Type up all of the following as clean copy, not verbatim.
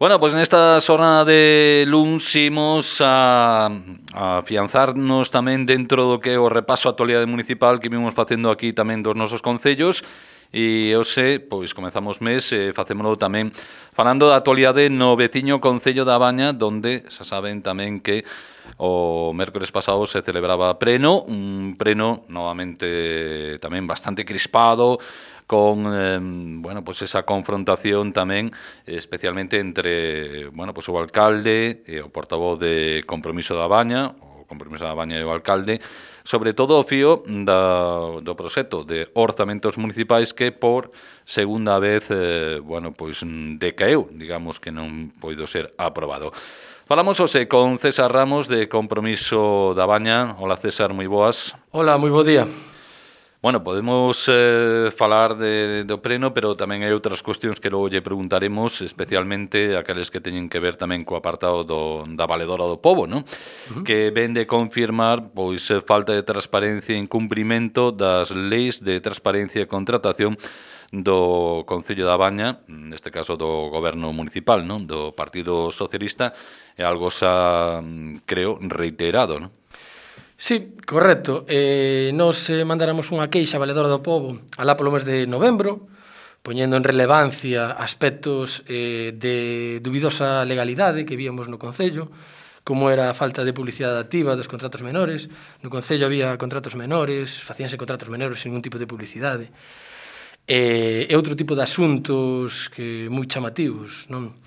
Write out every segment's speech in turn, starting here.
Bueno, pois nesta xornada de luns imos a afianzarnos tamén dentro do que é o repaso á actualidade municipal que vimos facendo aquí tamén dos nosos concellos e hoxe, pois comezamos mes e facémolo tamén falando da actualidade no veciño Concello da Baña, donde xa saben tamén que o mércores pasado se celebraba Preno, un Preno novamente tamén bastante crispado, con bueno, pues esa confrontación tamén especialmente entre, bueno, pues o alcalde e o portavoz de Compromiso da Baña, o Compromiso da Baña e o alcalde, sobre todo o fío do proxecto de orzamentos municipais que por segunda vez, bueno, pois decaeu, digamos que non poido ser aprobado. Falamos hoxe con César Ramos de Compromiso da Baña. Hola César, moi boas. Hola, moi bo día. Bueno, podemos falar do Preno, pero tamén hai outras cuestións que logo lle preguntaremos, especialmente aqueles que teñen que ver tamén co apartado da Valedora do Pobo, non? Que ven de confirmar pois falta de transparencia e incumprimento das leis de transparencia e contratación do Concello da Baña, neste caso do goberno municipal, non? Do Partido Socialista, é algo xa, creo, reiterado, non? Sí, correcto. Nos mandaramos unha queixa á Valedora do Pobo alá polo mes de novembro, poñendo en relevancia aspectos de dubidosa legalidade que víamos no Concello, como era a falta de publicidade activa dos contratos menores. No Concello había contratos menores, facíanse contratos menores sin ningún tipo de publicidade. E outro tipo de asuntos que moi chamativos, non?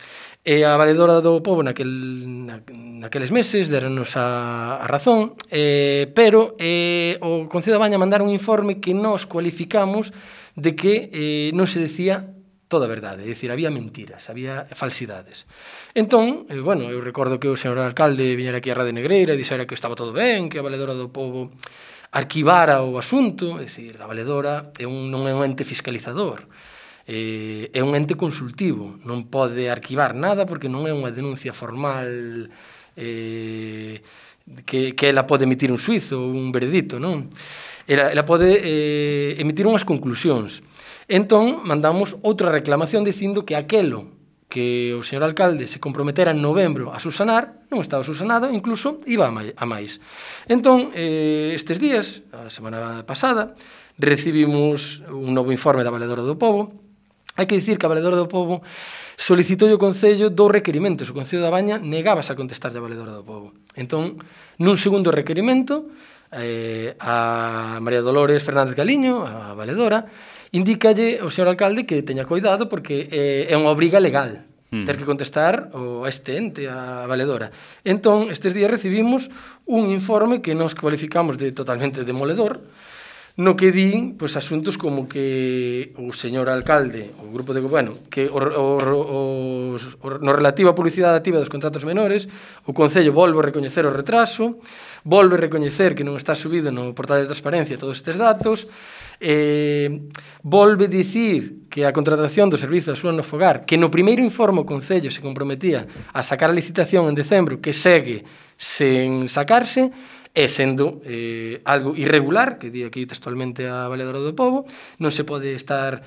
E a Valedora do Pobo naqueles meses deronnos a razón, pero o Concello da Baña mandaron un informe que nós cualificamos de que non se decía toda a verdade, é dicir, había mentiras, había falsidades. Entón, bueno, eu recordo que o señor alcalde viñera aquí a Rade Negreira e dixera que estaba todo ben, que a Valedora do Pobo arquivara o asunto, é dicir, a Valedora non é un ente fiscalizador, é un ente consultivo, non pode arquivar nada porque non é unha denuncia formal que ela pode emitir un suizo ou un veredicto, non? Ela pode emitir unhas conclusións. Entón, mandamos outra reclamación dicindo que aquelo que o señor alcalde se comprometera en novembro a subsanar, non estaba subsanado, incluso iba a máis. Entón, estes días, a semana pasada, recibimos un novo informe da Valedora do Pobo. Hai que dicir que a Valedora do Pobo solicitou ao Concello 2 requerimentos. O Concello da Baña negábase a contestar a Valedora do Pobo. Entón, nun segundo requerimento, a María Dolores Fernández Galiño, a Valedora, indícalle ao señor alcalde que teña cuidado porque é unha obriga legal ter que contestar a este ente, a Valedora. Entón, estes días recibimos un informe que nos cualificamos de totalmente demoledor, no que din pois, asuntos como que o señor alcalde, o grupo de goberno, que no relativo á publicidade activa dos contratos menores, o Concello volve a recoñecer o retraso, volve a recoñecer que non está subido no portal de transparencia todos estes datos, volve dicir que a contratación do servizo de axuda no fogar, que no primeiro informe o Concello se comprometía a sacar a licitación en decembro, que segue sen sacarse, e sendo algo irregular, que di aquí textualmente a Valedora do Pobo, non se pode estar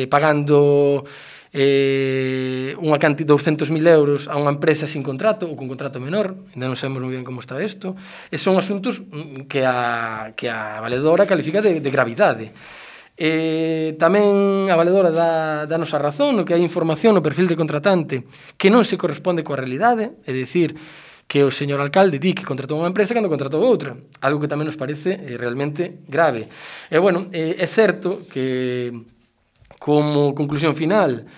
pagando unha cantidad de 200.000 euros a unha empresa sin contrato ou con contrato menor, ainda non sabemos moi ben como está isto, e son asuntos que a Valedora califica de gravidade. Tamén a Valedora danos a razón no que hai información no perfil de contratante que non se corresponde coa realidade, é dicir, que o señor alcalde di que contratou unha empresa cando contratou outra, algo que tamén nos parece realmente grave. E, bueno, é certo que, como conclusión final,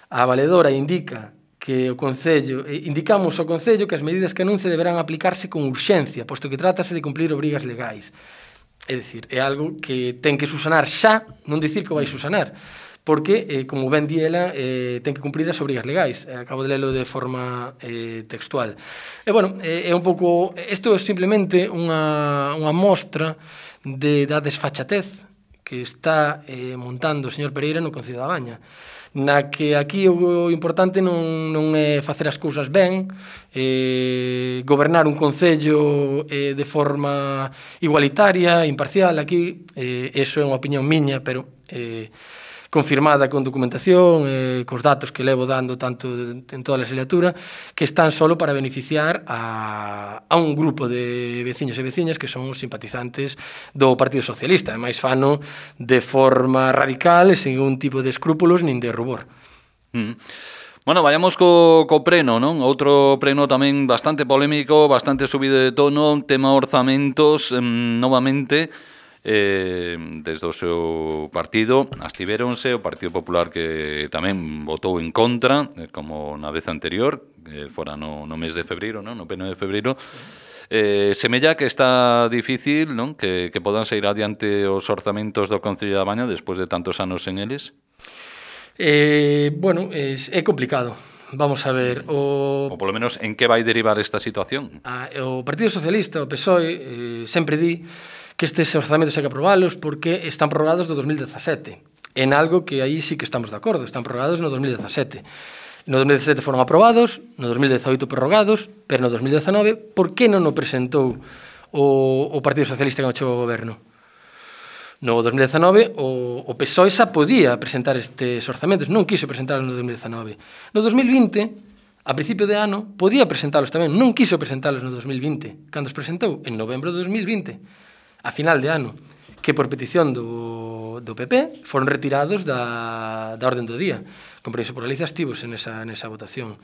a Valedora indica que o Concello, indicamos ao Concello que as medidas que anuncie deberán aplicarse con urxencia, posto que trátase de cumplir obrigas legais. É dicir, é algo que ten que subsanar xa, non dicir que vai subsanar, porque, como ben di ela, ten que cumprir as obrigas legais. Acabo de lelo de forma textual. E, bueno, é un pouco... Isto é simplemente unha mostra da desfachatez que está montando o señor Pereira no Concello da Baña, na que aquí o importante non é facer as cousas ben, gobernar un concello de forma igualitaria, imparcial. Aquí, eso é unha opinión miña, pero confirmada con documentación, cos datos que levo dando tanto en toda a legislatura, que están solo para beneficiar a un grupo de veciños e veciñas que son os simpatizantes do Partido Socialista, e máis fano de forma radical e sin un tipo de escrúpulos nin de rubor. Bueno, vayamos co pleno, non? Outro pleno tamén bastante polémico, bastante subido de tono, tema orzamentos, novamente, desde o seu partido, abstivéronse, o Partido Popular que tamén votou en contra, como na vez anterior, que fora no mes de febreiro, non? No pleno de febreiro. Semella que está difícil, non? Que podan sair adiante os orzamentos do Concello da Baña despois de tantos anos en eles. Bueno, é complicado. Vamos a ver, ou polo menos en que vai derivar esta situación. O Partido Socialista, o PSOE, sempre di que estes orzamentos hai que aprobalos porque están prorrogados do 2017. En algo que aí sí que estamos de acordo, están prorrogados no 2017. No 2017 foron aprobados, no 2018 prorrogados, pero no 2019, por que non o presentou o Partido Socialista que chegou ao goberno? No 2019 o PSOE xa podía presentar estes orzamentos, non quiso presentalos no 2019. No 2020, a principio de ano, podía presentalos tamén, non quiso presentalos no 2020. Cando os presentou? En novembro de 2020, a final de ano, que por petición do PP foron retirados da orden do día. Compromiso por Galicia estivos nesa votación.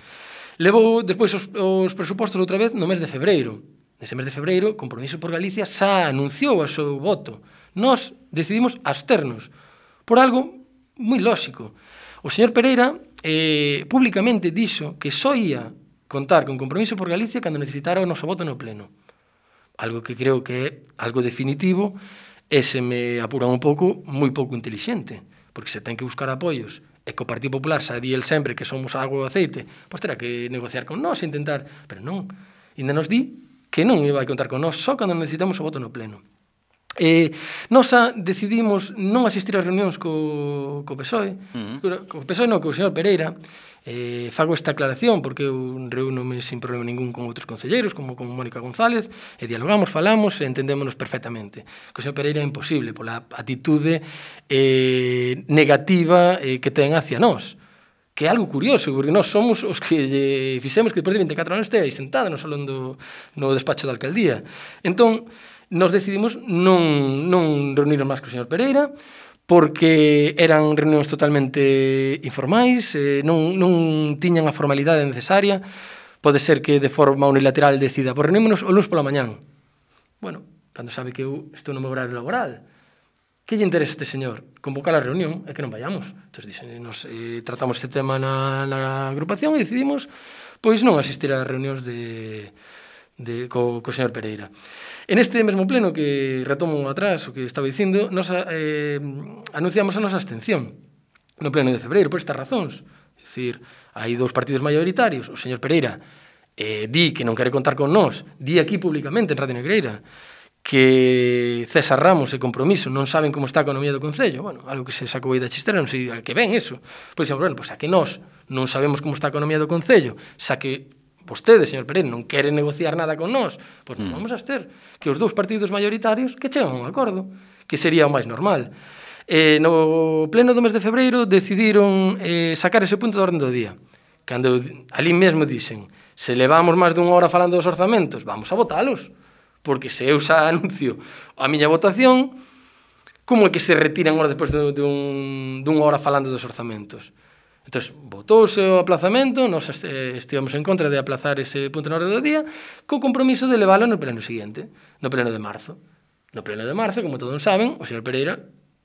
Levou despois os presupostos outra vez no mes de febreiro. Nese mes de febreiro, Compromiso por Galicia xa anunciou o seu voto. Nós decidimos absternos por algo moi lóxico. O señor Pereira públicamente dixo que só ia contar con Compromiso por Galicia cando necesitara o noso voto no pleno. Algo que creo que é algo definitivo e se me apura un pouco, moi pouco intelixente, porque se ten que buscar apoios e que o Partido Popular xa di el sempre que somos agua e aceite, pois terá que negociar con nós e intentar, pero non, ainda nos di que non iba a contar con nós só cando necesitamos o voto no pleno. Nós decidimos non asistir ás reunións co PSOE, co PSOE non, co señor Pereira. Fago esta aclaración porque eu reúnome sin problema ningún con outros concelleiros, como con Mónica González, e dialogamos, falamos e entendémonos perfectamente. Co señor Pereira é imposible pola atitude negativa que ten hacia nós, que é algo curioso, porque nós somos os que fixemos que depois de 24 anos este aí sentada no salón no despacho da alcaldía. Entón, nos decidimos non reunirnos máis co señor Pereira, porque eran reunións totalmente informais, non tiñan a formalidade necesaria. Pode ser que de forma unilateral decida, por reunímonos o luns pola mañán. Bueno, cando sabe que eu estou no meu horario laboral, que lle interesa este señor? Convocar a reunión e que non vayamos. Entón, nos tratamos este tema na agrupación e decidimos pois non asistir a reunións co señor Pereira. En este mesmo pleno que retomo atrás o que estaba dicindo, nos anunciamos a nosa abstención no pleno de febreiro por estas razóns. É dicir, hai dous partidos maioritarios, o señor Pereira di que non quere contar con nós, di aquí públicamente en Radio Negreira que César Ramos e Compromiso non saben como está a economía do Concello. Bueno, algo que se sacou aí da chistera, non sei a que ven eso. Pois dixemos, bueno, pois a que nós non sabemos como está a economía do Concello, xa que vostede, señor Pereira, non quere negociar nada con nós, pois non vamos a ter que os dous partidos maioritarios que chegan a un acordo, que sería o máis normal. No pleno do mes de febreiro decidiron sacar ese punto da orden do día. Cando ali mesmo dixen, se levamos máis dunha hora falando dos orzamentos, vamos a votalos, porque se eu xa anuncio a miña votación, como é que se retiran hora despois dunha hora falando dos orzamentos? Entón, votouse o aplazamento, nós estivemos en contra de aplazar ese punto na orde do día, co compromiso de leválo no pleno seguinte, no pleno de marzo. No pleno de marzo, como todos saben, o señor Pereira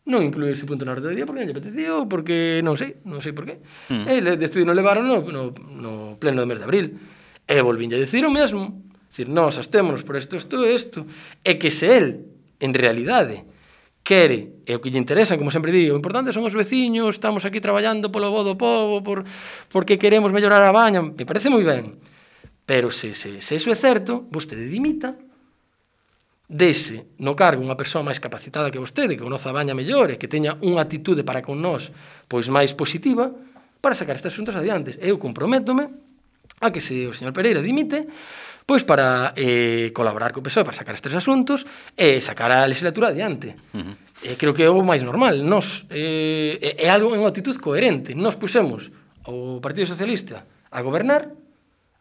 non incluiu ese punto na orde do día porque non lle apeteceu, porque non sei por qué. Ele decidiu non levaron no pleno do mes de abril. E volvín a decir o mesmo. Dicir, nós astémonos por isto, e que se el, en realidade, quere, e o que lle interesa, como sempre digo, o importante son os veciños, estamos aquí traballando polo bo do povo, porque queremos mellorar a Baña, me parece moi ben. Pero se iso é certo, vostede dimita, dese no cargo unha persoa máis capacitada que vostede, que conoza a Baña mellor e que teña unha atitude para con nós pois máis positiva, para sacar estes asuntos adiante. Eu comprométome a que se o señor Pereira dimite, pois para colaborar co PSOE para sacar estes asuntos e sacar a legislatura adiante. Creo que é o máis normal. Nos, é algo en actitud coherente. Nos pusemos o Partido Socialista a gobernar.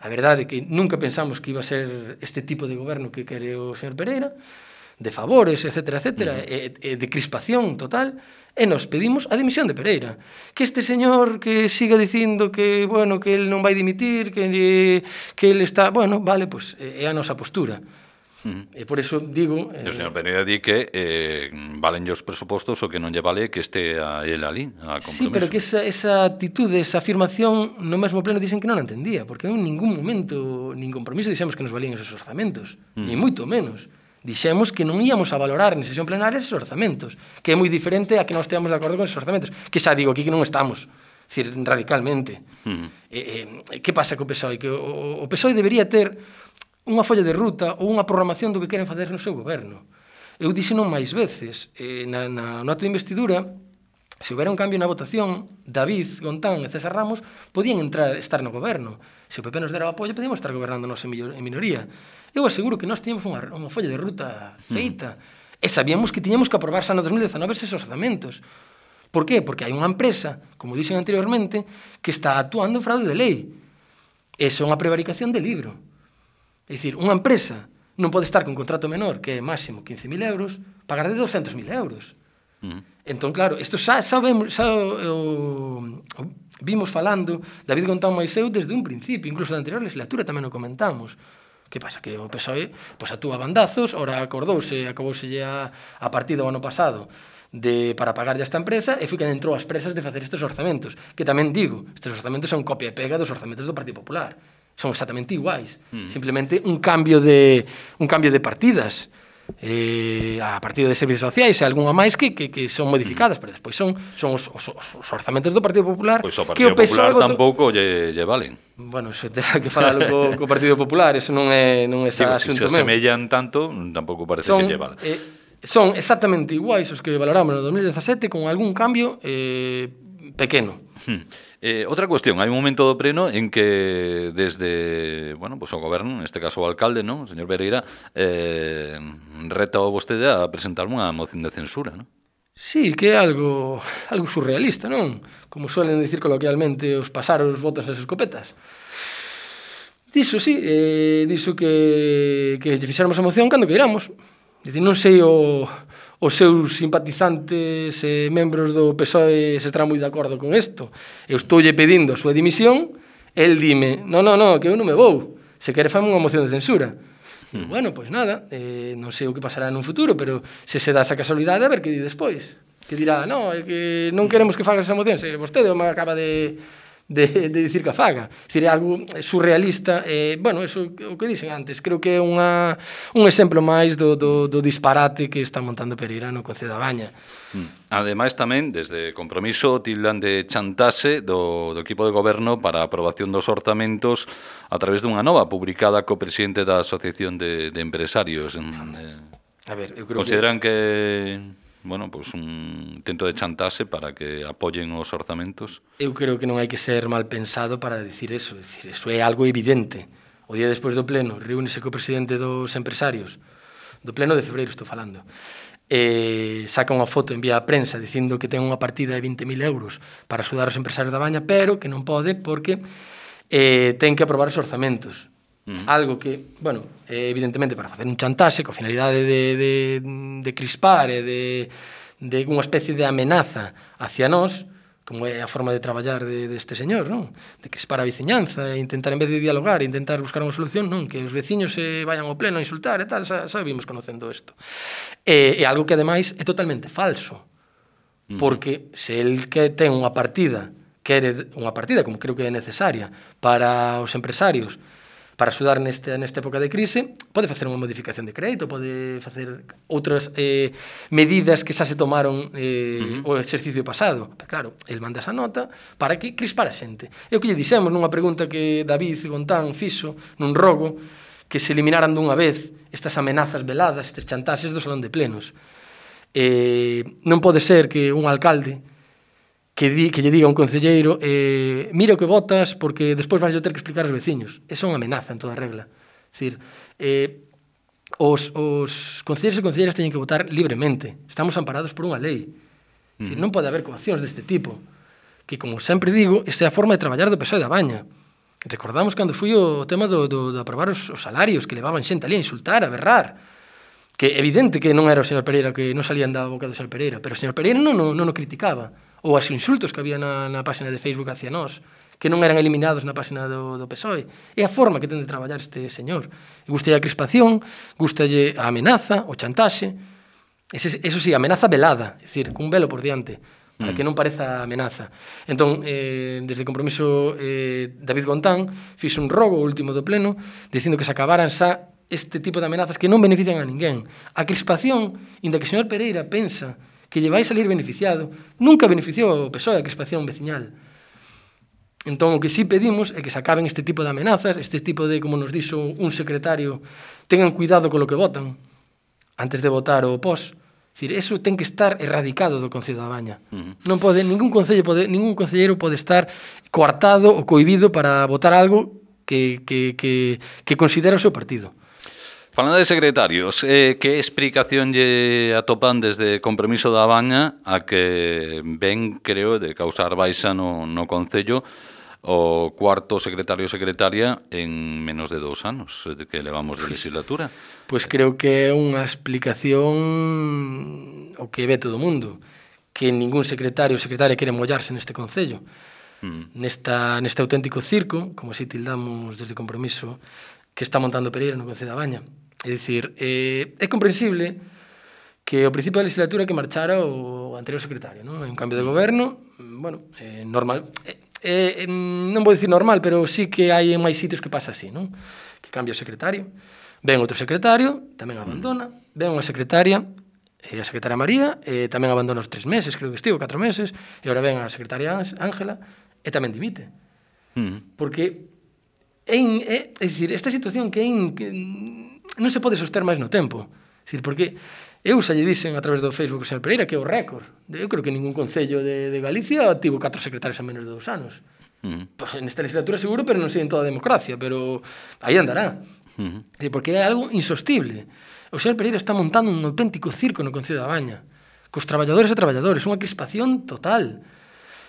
A verdade é que nunca pensamos que iba a ser este tipo de goberno que quere o señor Pereira, de favores, etcétera, etcétera, de crispación total, e nos pedimos a dimisión de Pereira. Que este señor que siga dicindo que, bueno, que el non vai dimitir, que el está... Bueno, vale, pues é a nosa postura. E por eso digo... O señor Pereira di que valen os presupostos o que non lle vale que este a él ali, a compromiso. Sí, pero que esa actitude, esa afirmación, no mesmo pleno dicen que non a entendía, porque en ningún momento, nin compromiso, dixemos que nos valían esos orzamentos, ni moito menos. Dixemos que non íamos a valorar en sesión plenaria esos orzamentos, que é moi diferente a que non esteamos de acordo con esos orzamentos, que xa digo aquí que non estamos, decir, radicalmente. Que pasa co PSOE? Que o PSOE debería ter unha folla de ruta ou unha programación do que queren facer no seu goberno. Eu dixeno máis veces, no acto de investidura, se houbera un cambio na votación, David Gontán e César Ramos podían estar no goberno. Se o PP nos dera o apoio, podíamos estar gobernando nós en minoría. Eu aseguro que nós tiñamos unha folla de ruta feita e sabíamos que tiñamos que aprobar xa no 2019 esos orzamentos. Por qué? Porque hai unha empresa, como dixen anteriormente, que está actuando en fraude de lei. Eso é unha prevaricación de libro. É dicir, unha empresa non pode estar con contrato menor, que é máximo 15.000 euros, pagar de 200.000 euros. Entón, claro, isto xa vimos falando David Gontán máis eu desde un principio, incluso da anterior legislatura tamén o comentamos. Que pasa? Que o PSOE actúa a bandazos, ora acordouse a partida o ano pasado para pagar esta empresa e foi que entrou as presas de facer estes orzamentos, que tamén digo, estes orzamentos son copia e pega dos orzamentos do Partido Popular. Son exactamente iguais, simplemente un cambio de partidas, a partida de servicios sociais e algunha máis que son modificadas, pero despois son os orzamentos do Partido Popular. Pois o Partido Popular tampouco lle valen. Bueno, eso terá que falalo co Partido Popular, eso non é ese asunto meu. Se asemellan tanto, tampouco parece que lle valen. Son exactamente iguais os que valoramos no 2017 con algún cambio pequeno. Outra cuestión, hai un momento do pleno en que desde, bueno, pues o goberno, neste caso o alcalde, non, o señor Pereira, reta a vostede a presentar unha moción de censura, non? Sí, que é algo surrealista, non? Como suelen dicir coloquialmente os pasaros botas as escopetas. Diso, sí, diso que lle fixéramos a moción cando queiramos. Dicir, non sei os seus simpatizantes e membros do PSOE se estarán moi de acordo con isto. Eu estoulle pedindo a súa dimisión, el dime, no, que eu non me vou, se quere fame unha moción de censura. Bueno, pois nada, non sei o que pasará nun futuro, pero se dá esa casualidade, a ver que di despois. Que dirá, no, é que non queremos que fagas esa moción, se vostede me acaba de dicir que a faga. É algo surrealista. Bueno, eso o que dixen antes, creo que é un exemplo máis do disparate que está montando Pereira no Concello da Baña. Ademais tamén, desde Compromiso, tildan de chantaxe do equipo de goberno para a aprobación dos orzamentos a través dunha nova publicada co presidente da Asociación de Empresarios. A ver, eu creo consideran que bueno, pues un intento de chantaxe para que apoyen os orzamentos? Eu creo que non hai que ser mal pensado para dicir eso. Eso é algo evidente. O día despois do pleno, reúnese co presidente dos empresarios, do pleno de febreiro estou falando, saca unha foto, envía a prensa dicindo que ten unha partida de 20.000 euros para axudar os empresarios da Baña, pero que non pode porque ten que aprobar os orzamentos. Algo que, bueno, evidentemente para facer un chantaxe coa finalidade de crispar e de unha especie de amenaza hacia nós, como é a forma de traballar deste señor, non? De crispar a veciñanza e intentar, en vez de dialogar, intentar buscar unha solución, non? Que os veciños se vayan ao pleno a insultar e tal, xa vimos conocendo isto. É algo que, ademais, é totalmente falso, porque se el que ten unha partida, quere unha partida, como creo que é necesaria, para os empresarios, para axudar nesta época de crise, pode facer unha modificación de crédito, pode facer outras medidas que xa se tomaron o exercicio pasado. Pero claro, el manda esa nota para que crispar a xente. E o que lle dixemos nunha pregunta que David Gontán fixo nun rogo, que se eliminaran dunha vez estas amenazas veladas, estes chantaxes do salón de plenos. Non pode ser que un alcalde que lle diga a un concelleiro mira o que votas porque despois vais ter que explicar aos veciños. Esa é unha amenaza en toda regla. É dicir, os concelleiros e concelleiras teñen que votar libremente. Estamos amparados por unha lei. Dicir, non pode haber coaccións deste tipo. Que, como sempre digo, esta é a forma de traballar do PSOE da Baña. Recordamos cando foi o tema de aprobar os salarios, que levaban xente ali a insultar, a berrar. Que é evidente que non era o señor Pereira, que non salían da boca do señor Pereira, pero o señor Pereira non o criticaba. Ou os insultos que había na página de Facebook hacia nós, que non eran eliminados na página do PSOE. É a forma que ten de traballar este señor. Gustalle a crispación, gustalle a amenaza, o chantaxe. Eso sí, amenaza velada, é dicir, cun velo por diante, para que non pareza amenaza. Entón, desde o compromiso, David Gontán fixo un rogo último do pleno, dicindo que se acabaran xa este tipo de amenazas que non benefician a ninguén. A crispación, inda que o señor Pereira pensa que lle vai salir beneficiado, nunca beneficiou o PSOE a crispación veciñal. Entón, o que sí pedimos é que se acaben este tipo de amenazas, este tipo de, como nos dixo un secretario, tengan cuidado con lo que votan antes de votar o pos. É dicir, eso ten que estar erradicado do Concello da Baña. Non pode, ningún concelleiro pode estar coartado ou cohibido para votar algo que considera o seu partido. Falando de secretarios, que explicación lle atopan desde Compromiso da Baña a que ven, creo, de causar baixa no Concello o cuarto secretario ou secretaria en menos de 2 anos que levamos de legislatura? Pois creo que é unha explicación o que ve todo o mundo, que ningún secretario ou secretaria quere mollarse neste Concello. Neste auténtico circo, como así tildamos desde Compromiso, que está montando Pereira no Concello da Baña. É dicir, é comprensible que ao principio da legislatura que marchara o anterior secretario, non? Un cambio de goberno, bueno, normal. Non vou dicir normal, pero sí que hai en máis sitios que pasa así, non? Que cambia o secretario, ven outro secretario, tamén abandona, ven unha secretaria, a secretaria María, tamén abandona os 3 meses, creo que estivo, 4 meses, e agora ven a secretaria Ángela, e tamén dimite. Porque é dicir, esta situación que non se pode soster máis no tempo. É dicir, porque eu xa lle dixen a través do Facebook o señor Pereira que é o récord. Eu creo que ningún concello de Galicia tivo 4 secretarios en menos de 2 anos. Nesta legislatura seguro, pero non sei en toda a democracia, pero aí andará. Porque é algo insostible. O señor Pereira está montando un auténtico circo no Concello da Baña, cos traballadores e traballadores, unha crispación total.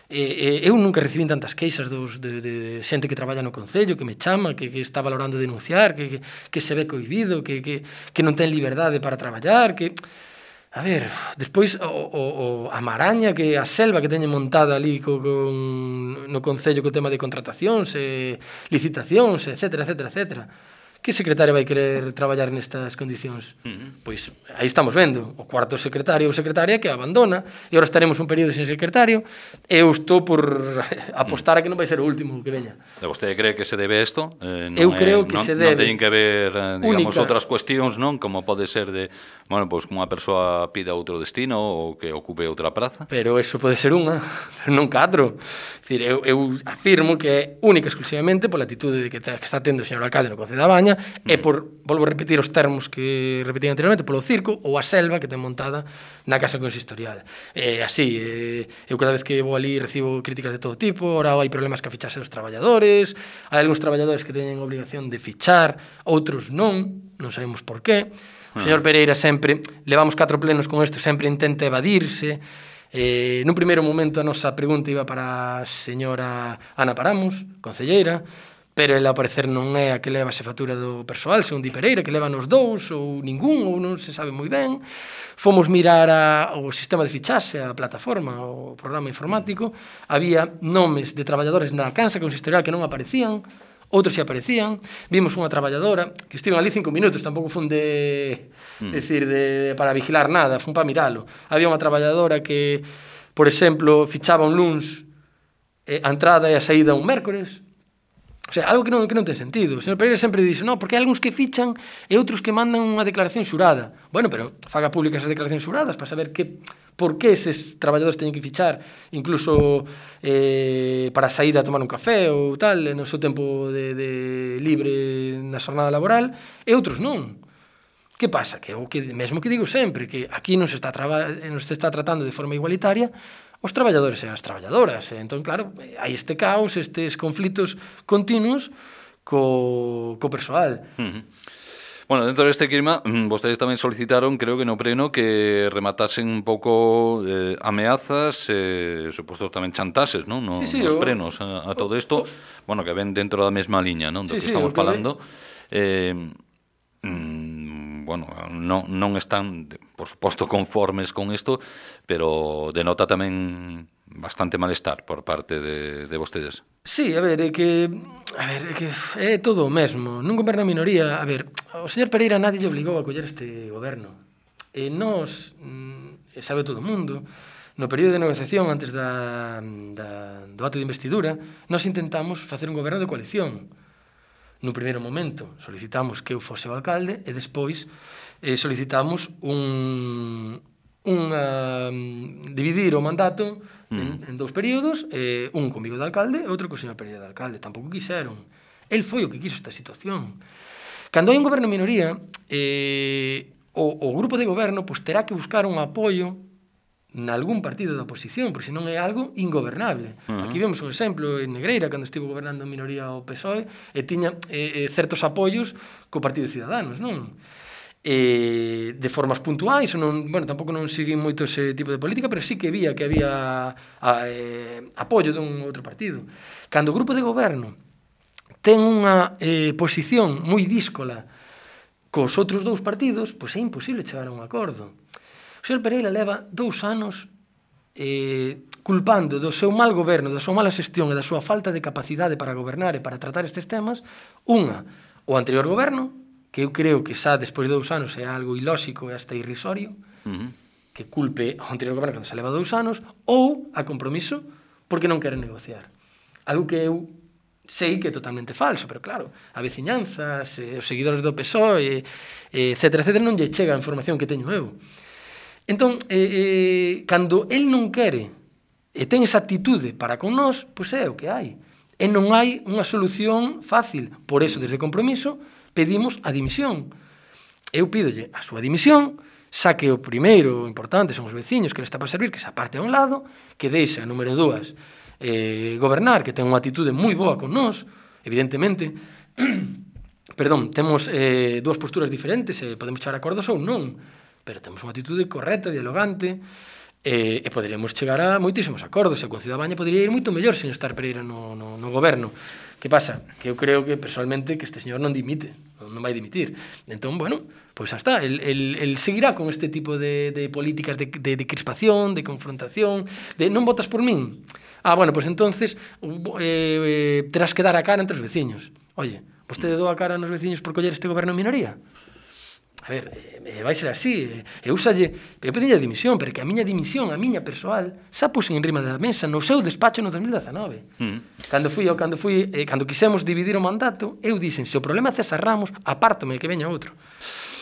Eu nunca recibín tantas queixas de xente que traballa no Concello, que me chama, que está valorando denunciar, que se ve cohibido, que non ten liberdade para traballar, que... A ver, despois a maraña, que a selva que teñen montada ali no Concello co tema de contratacións, licitacións, etcétera, etcétera, etcétera. Que secretario vai querer traballar nestas condicións? Pois aí estamos vendo o cuarto secretario ou secretaria que abandona, e agora estaremos un período sen secretario, e eu estou por apostar a que non vai ser o último que veña. E vostede cree que se debe isto? Eu creo que se debe. Non teñen que ver, digamos, outras cuestións, non? Como pode ser de, bueno, pois como unha persoa pida outro destino ou que ocupe outra praza? Pero eso pode ser unha, pero non 4. Dicir, eu afirmo que é única exclusivamente pola atitude que está tendo o señor alcalde no Concello da Baña, e por, volvo a repetir os termos que repetí anteriormente, polo circo ou a selva que ten montada na Casa Consistorial. Así, eu cada vez que vou ali recibo críticas de todo tipo, ora hai problemas que a fichase dos traballadores, hai algúns traballadores que teñen obligación de fichar, outros non sabemos por qué. O señor Pereira sempre, levamos 4 plenos con isto, sempre intenta evadirse. Nun primeiro momento a nosa pregunta iba para a señora Ana Paramos, concelleira, pero ela ao parecer non é a que leva a xefatura do persoal, segundo di Pereira, que leva nos 2 ou ningún, ou non se sabe moi ben. Fomos mirar o sistema de fichaxe, a plataforma, o programa informático, había nomes de traballadores na Casa Consistorial que non aparecían, outros xa aparecían. Vimos unha traballadora que estiven ali 5 minutos, tampouco fun para vigilar nada, fun para miralo. Había unha traballadora que, por exemplo, fichaba un luns, a entrada e a saída un mércores. O sea, algo que non ten sentido. O señor Pereira sempre dixe, non, porque hai algúns que fichan e outros que mandan unha declaración xurada. Bueno, pero faga públicas as declaracións xuradas para saber por que eses traballadores teñen que fichar, incluso para sair a tomar un café ou tal, no seu tempo de libre na xornada laboral, e outros non. Que pasa? Que o que mesmo que digo sempre, que aquí non se está tratando de forma igualitaria os traballadores e as traballadoras. Entón, claro, hai este caos, estes conflitos continuos co persoal. Bueno, dentro deste clima, vostedes tamén solicitaron, creo que no pleno, que rematasen un pouco ameazas, supostos tamén chantases, non? Sí, sí, Nos plenos a todo isto, bueno, que ven dentro da mesma liña, non? Do sí, que sí, estamos o que falando. Bueno, non están, por suposto, conformes con isto, pero denota tamén bastante malestar por parte de vostedes. Sí, a ver, é que é todo o mesmo. Nun goberno a minoría, a ver, o señor Pereira nadie lle obligou a coller este goberno. E nós, sabe todo o mundo, no período de negociación antes do acto de investidura, nós intentamos facer un goberno de coalición. No primeiro momento solicitamos que eu fose o alcalde e despois solicitamos dividir o mandato en dous períodos, un comigo de alcalde e outro co señor Pereira de alcalde. Tampouco quixeron. El foi o que quiso esta situación. Cando hai un goberno en minoría, o grupo de goberno pues, terá que buscar un apoio nalgún partido da oposición, porque senón é algo ingobernable. Aquí vemos un exemplo en Negreira, cando estivo gobernando en minoría o PSOE, e tiña certos apoios co Partido de Ciudadanos, non? De formas puntuais, non, bueno, tampouco non seguín moito ese tipo de política, pero sí que había apoio dun outro partido. Cando o grupo de goberno ten unha posición moi díscola cos outros dous partidos, pois é imposible chegar a un acordo. O señor Pereira leva 2 anos culpando do seu mal goberno, da súa mala xestión e da súa falta de capacidade para gobernar e para tratar estes temas, o anterior goberno, que eu creo que xa despois de 2 anos é algo ilóxico e hasta irrisorio, que culpe ao anterior goberno cando se leva 2 anos, ou a Compromiso porque non quere negociar. Algo que eu sei que é totalmente falso, pero claro, a veciñanzas, os seguidores do PSOE, etcétera, non lle chega a información que teño eu. Entón, cando el non quere e ten esa actitude para con nós, pois é o que hai. E non hai unha solución fácil. Por eso, desde Compromiso, pedimos a dimisión. Eu pídolle a súa dimisión, xa que o primeiro importante son os veciños que le está para servir, que se aparte a un lado, que deixa, número 2, gobernar, que ten unha actitude moi boa con nós, evidentemente. Perdón, temos 2 posturas diferentes, podemos chegar a acordos ou non, pero temos unha actitude correcta, dialogante, e poderemos chegar a moitísimos acordos, e o Concello da Baña podría ir moito mellor sen estar Pereira no goberno. Que pasa? Que eu creo que, personalmente, que este señor non dimite, non vai dimitir. Entón, bueno, pois xa está, el seguirá con este tipo de políticas de crispación, de confrontación, de non votas por min. Bueno, pois entonces terás que dar a cara entre os veciños. Oye, vostede dou a cara nos veciños por coller este goberno en minoría? A ver, vai ser así. Eu pedí a dimisión, pero que a miña dimisión, a miña persoal, xa puxen en rima da mesa no seu despacho no 2019. Cando quisemos dividir o mandato, eu dixen, se o problema é César Ramos, apártome que veña outro.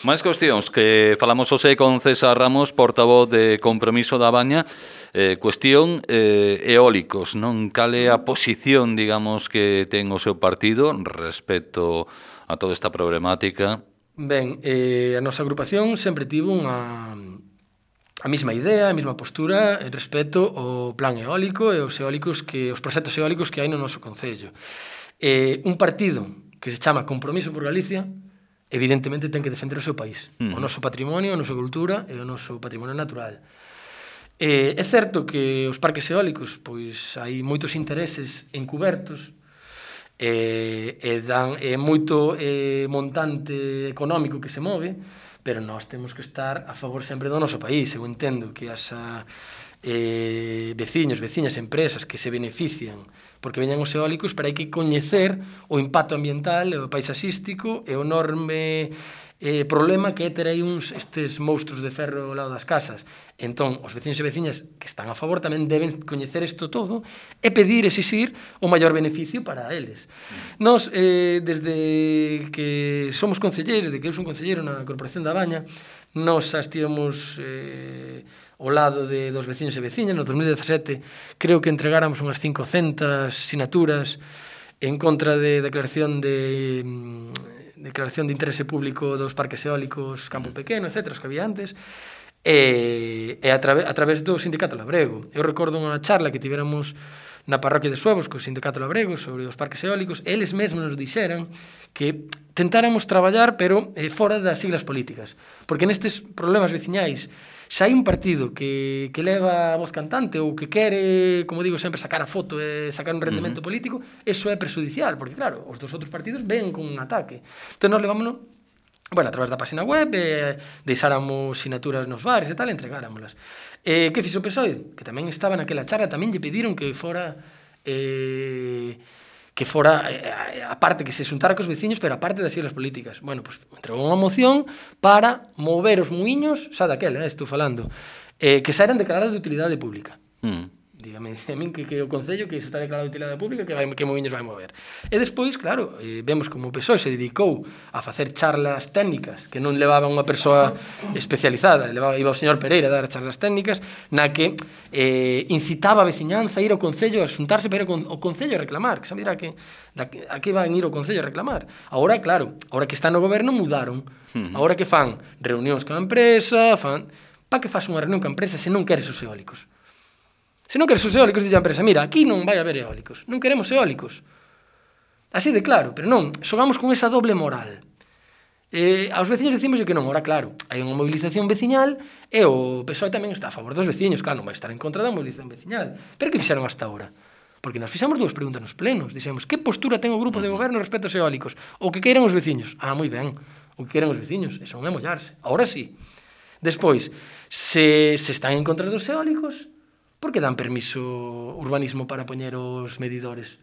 Máis cuestións que falamos hoxe con César Ramos, portavoz de Compromiso da Baña, cuestión eólicos, non? Cal é a posición, digamos, que ten o seu partido respecto a toda esta problemática? Ben, a nosa agrupación sempre tivo a mesma idea, a mesma postura respecto ao plan eólico e os proxectos eólicos que hai no noso concello. Un partido que se chama Compromiso por Galicia, evidentemente ten que defender o seu país, o noso patrimonio, a nosa cultura e o noso patrimonio natural. É certo que os parques eólicos, pois hai moitos intereses encubertos, é moito montante económico que se move, pero nós temos que estar a favor sempre do noso país. Eu entendo que as veciños, veciñas, empresas que se benefician porque veñan os eólicos, pero hai que coñecer o impacto ambiental, o paisaxístico e o enorme problema que é ter aí estes monstruos de ferro ao lado das casas. Entón, os veciños e veciñas que están a favor tamén deben coñecer isto todo e pedir, exixir o maior beneficio para eles. Nós, desde que somos concelleiros, de que eu son concelleiro na Corporación da Baña, nós xa estivemos ao lado dos veciños e veciñas. No 2017 creo que entregáramos unhas 500 sinaturas en contra de declaración de interese público dos parques eólicos Campo Pequeno, etc., os que había antes, e a través do Sindicato Labrego. Eu recordo unha charla que tivéramos na parroquia de Suevos, co sindicato labrego, sobre os parques eólicos, eles mesmos nos dixeran que tentáramos traballar, pero fora das siglas políticas. Porque nestes problemas veciñais, se hai un partido que leva a voz cantante ou que quere, como digo sempre, sacar a foto e sacar un rendemento político, eso é prejudicial, porque claro, os dos outros partidos ven con un ataque. Entón, nos levámonos, bueno, a través da página web, deixáramos sinaturas nos bares e tal, e entregáramolas. Que fixo o PSOE? Que tamén estaba naquela charla, tamén lle pediron que fora aparte que se xuntara cos veciños, pero aparte das siglas políticas. Bueno, pues entregou unha moción para mover os muiños, xa daquela, estou falando, que xa eran declarados de utilidade pública. Dígame a min que o Concello que se está declarado de utilidade pública que moviños vai mover. E despois, claro, vemos como o PSOE se dedicou a facer charlas técnicas que non levaba unha persoa especializada, iba o señor Pereira a dar charlas técnicas na que incitaba a veciñanza a ir ao Concello a xuntarse para ir ao Concello a reclamar, que sabe dirá que a que van ir ao Concello a reclamar. Agora, claro, agora que están no goberno mudaron. Agora que fan reunións con a empresa, para que faz unha reunión con a empresa se non queres os eólicos? Se non queres os eólicos, dixe a empresa, mira, aquí non vai haber eólicos, non queremos eólicos. Así de claro, pero non, xogamos con esa doble moral. Aos veciños decimos que non, ora claro, hai unha movilización veciñal e o PSOE tamén está a favor dos veciños, claro, non vai estar en contra da movilización veciñal. Pero que fixeron hasta ahora? Porque nos fixamos dúas preguntas nos plenos, dixemos, que postura ten o grupo de goberno respecto aos eólicos? O que queiran os veciños? Ah, moi ben, o que queiran os veciños, eso non é mollarse. Ahora sí. Despois, se están en contra dos eólicos, por que dan permiso urbanismo para poñer os medidores?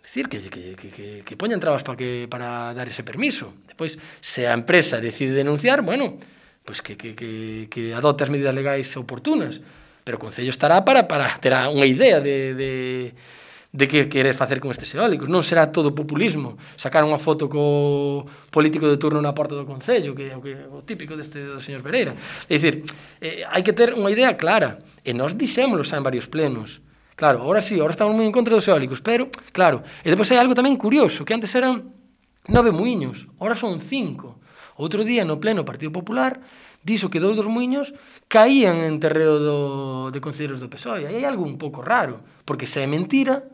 Decir, que poñan trabas para dar ese permiso. Depois, se a empresa decide denunciar, bueno, pues que adopte as medidas legais oportunas, pero o Concello estará para ter unha idea de que queres facer con estes eólicos. Non será todo populismo, sacar unha foto co político de turno na porta do Concello, que é o típico do señor Pereira. É dicir, hai que ter unha idea clara. E nós dixémoslo xa en varios plenos. Claro, ahora sí, ahora estamos moi en contra dos eólicos, pero, claro, e depois hai algo tamén curioso, que antes eran 9 muiños, ahora son 5. Outro día, no pleno Partido Popular, dixo que 2 dos muiños caían en terreo de concelleiros do PSOE. Aí hai algo un pouco raro, porque se é mentira,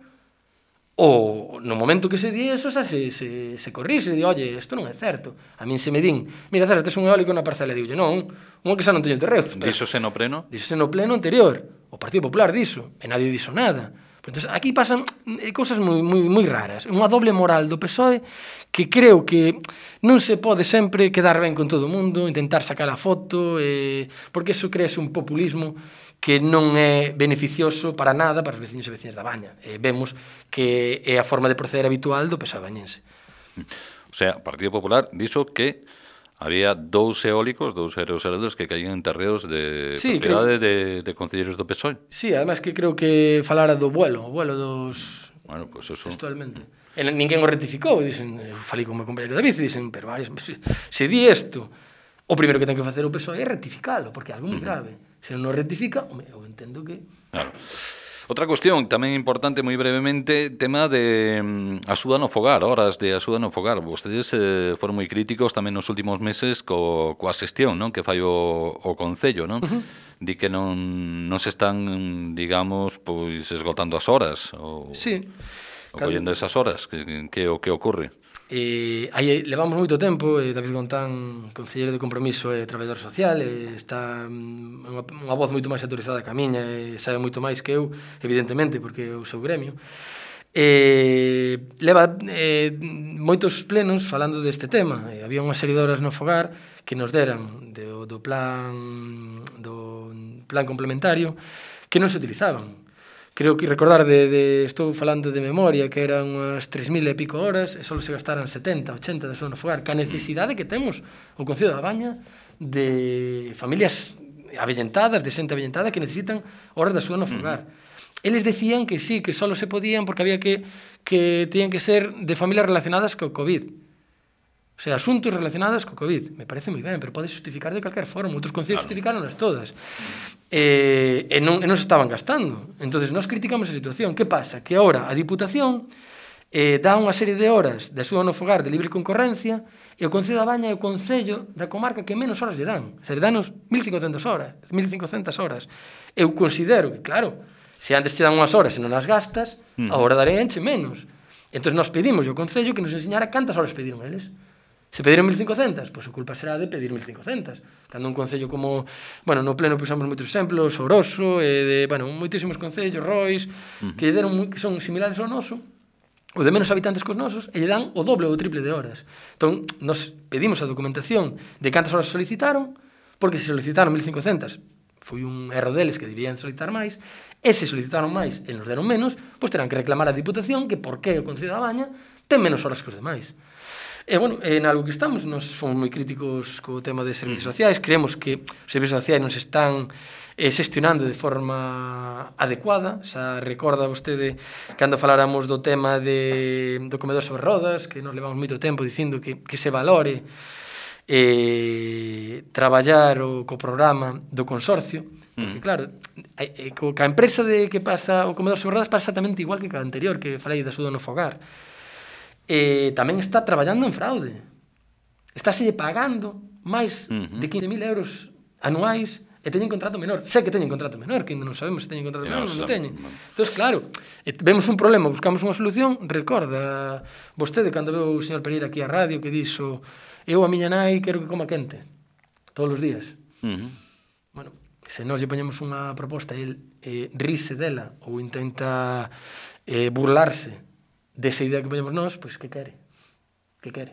ou no momento que se di eso, xa se corrixe, di, oye, isto non é certo. A min se me din, mira, César, tes un eólico na parcela, diulle, non, un que xa non teño terreo. Díxose no pleno? Díxose no pleno anterior, o Partido Popular dixo, e nadie dixo nada. Entón, aquí pasan cousas moi raras, unha doble moral do PSOE que creo que non se pode sempre quedar ben con todo o mundo, intentar sacar a foto, porque iso crease un populismo que non é beneficioso para nada para os veciños e veciñas da Baña. Vemos que é a forma de proceder habitual do PSOE bañense. O sea, o Partido Popular dixo que había 2 eólicos, 2 aerogeradores que caían en terreos de propiedade de concelleiros do PSOE. Sí, además que creo que falara do vuelo dos... Bueno, pues eso... Textualmente. Ninguén o rectificou, dicen, falei con o meu compañero David, dicen, pero se di isto, o primeiro que ten que facer o PSOE é rectificalo, porque é algo moi grave. Se non o rectifica, eu entendo que... Claro. Outra cuestión tamén importante, moi brevemente, tema de axuda no fogar, horas de axuda no fogar. Vostedes foron moi críticos tamén nos últimos meses coa xestión, non, que fai o Concello, non? Di que non se están, digamos, pois esgotando as horas ou collendo esas horas, que o que ocorre? Aí levamos moito tempo, David Gontán, concelleiro de Compromiso e traballador social, está unha voz moito máis autorizada que a miña, sabe moito máis que eu, evidentemente, porque é o seu gremio. Leva moitos plenos falando deste tema. Había unha serie de horas no fogar que nos deran do plan complementario que non se utilizaban. Creo que recordar estou falando de memoria, que eran unhas 3.000 e pico horas e só se gastaran 70, 80 de sono fogar, que a necesidade que temos o Concello da Baña de familias avellentadas, de xente avellentada que necesitan horas de sono fogar. Eles decían que sí, que só se podían porque había que tenían que ser de familias relacionadas co COVID. O sea, asuntos relacionados co COVID. Me parece moi ben, pero pode justificar de calquer forma. Outros concellos justificaronlas todas. E non se estaban gastando. Entón, nós criticamos a situación. Que pasa? Que agora a Diputación dá unha serie de horas de axuda no fogar de libre concorrencia e o Concello da Baña é o concello da comarca que menos horas lle dan. O sea, lle danos 1.500 horas. Eu considero que, claro, Se antes che dan unhas horas e non as gastas, agora daré enche menos. Entón, nós pedimos ao Concello que nos enseñara cantas horas pediron eles. Se pediron 1.500, pois a culpa será de pedir 1.500. Cando un concello como, bueno, no Pleno pusamos moitos exemplos, Oroso, de, bueno, moitísimos concellos, Rois, que son similares ao noso, ou de menos habitantes cos nosos, e lle dan o doble ou o triple de horas. Entón, nos pedimos a documentación de cantas horas solicitaron, porque se solicitaron 1.500, foi un erro deles que debían solicitar máis, e se solicitaron máis e nos deron menos, pois terán que reclamar a Diputación que por que o Concello da Baña ten menos horas que os demais. E, bueno, en algo que estamos, nos fomos moi críticos co tema de servicios sociais, creemos que os servicios sociais non se están xestionando de forma adecuada. Xa recorda vostede cando faláramos do tema do comedor sobre rodas, que nos levamos moito tempo dicindo que se valore traballar co programa do consorcio, porque claro, ca empresa que pasa o comedor sobre rodas pasa exactamente igual que ca anterior, que falei da Axuda no Fogar. Tamén está traballando en fraude. Estáselle pagando máis de 15.000 euros anuais e teñen contrato menor. Sé que teñen contrato menor, que ainda non sabemos se teñen contrato menor ou non teñen. Entón, claro, vemos un problema, buscamos unha solución. Recorda vostede cando veu o señor Pereira aquí á radio que dixo: eu a miña nai quero que coma quente todos os días. Bueno, se nós lle poñemos unha proposta e el rise dela ou intenta burlarse desa idea que poñemos nós, pois que quere? Que quere?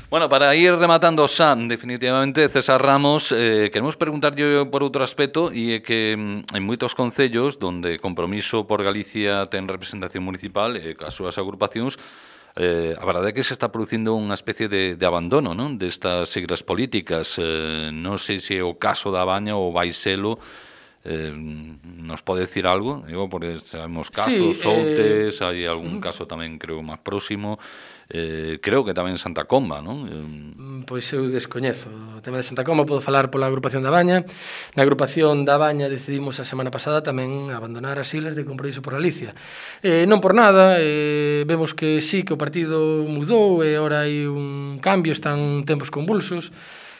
Bueno, para ir rematando xa, definitivamente, César Ramos, queremos preguntarlle por outro aspecto, e é que en moitos concellos onde Compromiso por Galicia ten representación municipal e cas súas agrupacións, a verdade é que se está producindo unha especie de abandono, non, destas siglas políticas. Non sei se é o caso da Baña ou vai selo. Nos pode decir algo? Digo, porque sabemos casos, Soutes, hai algún caso tamén, creo, máis próximo. Creo que tamén Santa Comba, non? Pois eu descoñezo o tema de Santa Comba, podo falar pola agrupación da Baña. Na agrupación da Baña decidimos a semana pasada tamén abandonar as siglas de Compromiso por Galicia. Non por nada, vemos que sí, que o partido mudou e agora hai un cambio, están tempos convulsos.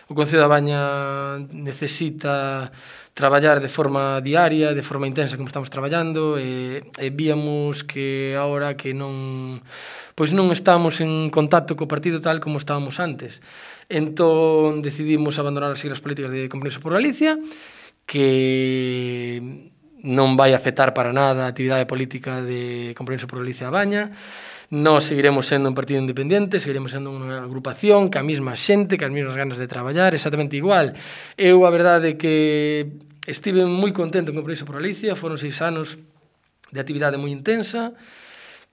O Concello da Baña necesita traballar de forma diaria, de forma intensa como estamos traballando, e víamos que agora que non estamos en contacto co partido tal como estábamos antes. Entón decidimos abandonar as siglas políticas de Compromiso por Galicia, que non vai afectar para nada a actividade política de Compromiso por Galicia a Baña. Nós seguiremos sendo un partido independente, seguiremos sendo unha agrupación que a mesma xente, que as mesmas ganas de traballar, exactamente igual. Eu, a verdade, que estive moi contento con Compromiso por Galicia, foron 6 anos de actividade moi intensa,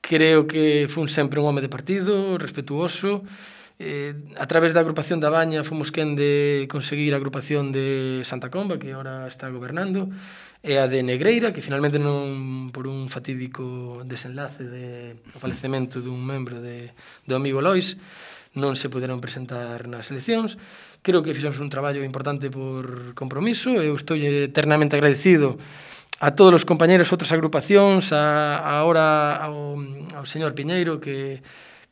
creo que fun sempre un home de partido, respetuoso. A través da agrupación da Baña fomos quen de conseguir a agrupación de Santa Comba, que agora está gobernando, e a de Negreira, que finalmente non, por un fatídico desenlace do falecemento dun membro do amigo Lois, non se poderon presentar nas eleccións. Creo que fixemos un traballo importante por Compromiso. Eu estou eternamente agradecido a todos os compañeros, outras agrupacións, agora ao señor Piñeiro, que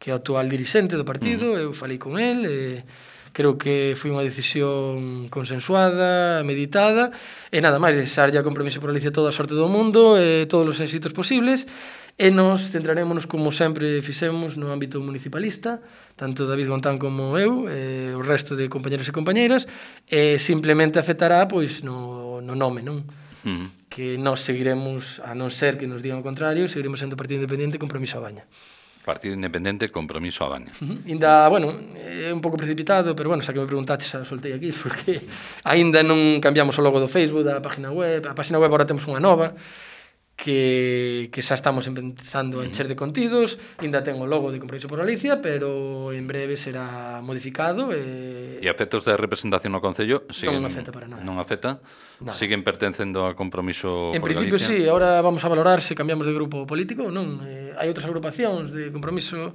é o actual dirixente do partido. Eu falei con el, creo que foi unha decisión consensuada, meditada, e nada máis, desexarlle a Compromiso por Galicia toda a sorte do mundo e todos os éxitos posibles, e nos centrarémonos, como sempre fixemos, no ámbito municipalista, tanto David Gontán como eu, e o resto de compañeros e compañeiras, e simplemente afectará pois no nome, non? Que nós seguiremos, a non ser que nos digan o contrario, seguiremos sendo Partido Independente Compromiso a Baña. Partido Independente, Compromiso a Baña. Ainda, bueno, é un pouco precipitado, pero bueno, xa que me preguntaste, xa soltei aquí, porque aínda non cambiamos o logo do Facebook, da página web. A página web agora temos unha nova, que xa estamos empezando a encher de contidos, aínda ten o logo de Compromiso por Galicia, pero en breve será modificado. E a efectos de representación no Concello non afecta para nada. Non afecta? Nada. Siguen pertencendo a Compromiso por Galicia? En principio sí, agora vamos a valorar se cambiamos de grupo político ou non. Hai outras agrupacións de Compromiso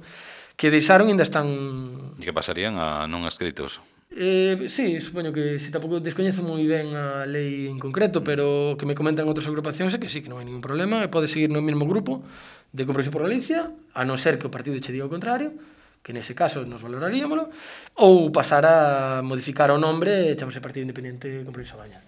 que deixaron e ainda están... E que pasarían a non adscritos? Sí, supoño que si tampouco descoñezo moi ben a lei en concreto, pero o que me comentan outras agrupacións é que sí, que non hai ningún problema, e pode seguir no mesmo grupo de Compromiso por Galicia, a non ser que o partido che diga o contrario, que nese caso nos valoraríamolo, ou pasar a modificar o nombre e chamase Partido Independiente Compromiso a Baña.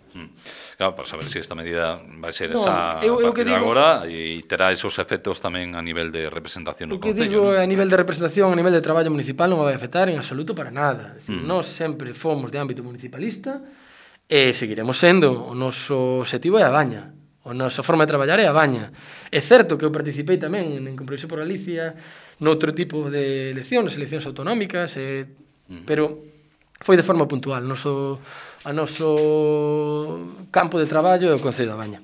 Claro, para saber se esta medida vai ser No, esa a eu partir que de digo- agora e terá esos efectos tamén a nivel de representación no O que Concello, digo non? a nivel de representación, a nivel de traballo municipal non vai afectar en absoluto para nada. Nós sempre fomos de ámbito municipalista e seguiremos sendo. O noso objetivo é a Baña. A nosa forma de traballar é a Baña. É certo que eu participei tamén en Compromiso por Galicia noutro tipo de eleccións autonómicas, pero foi de forma puntual. A noso campo de traballo é o Concello da Baña.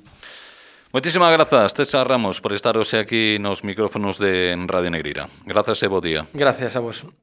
Moitísimas grazas, César Ramos, por estar hoxe aquí nos micrófonos de Radio Negreira. Grazas e bo día. Gracias a vos.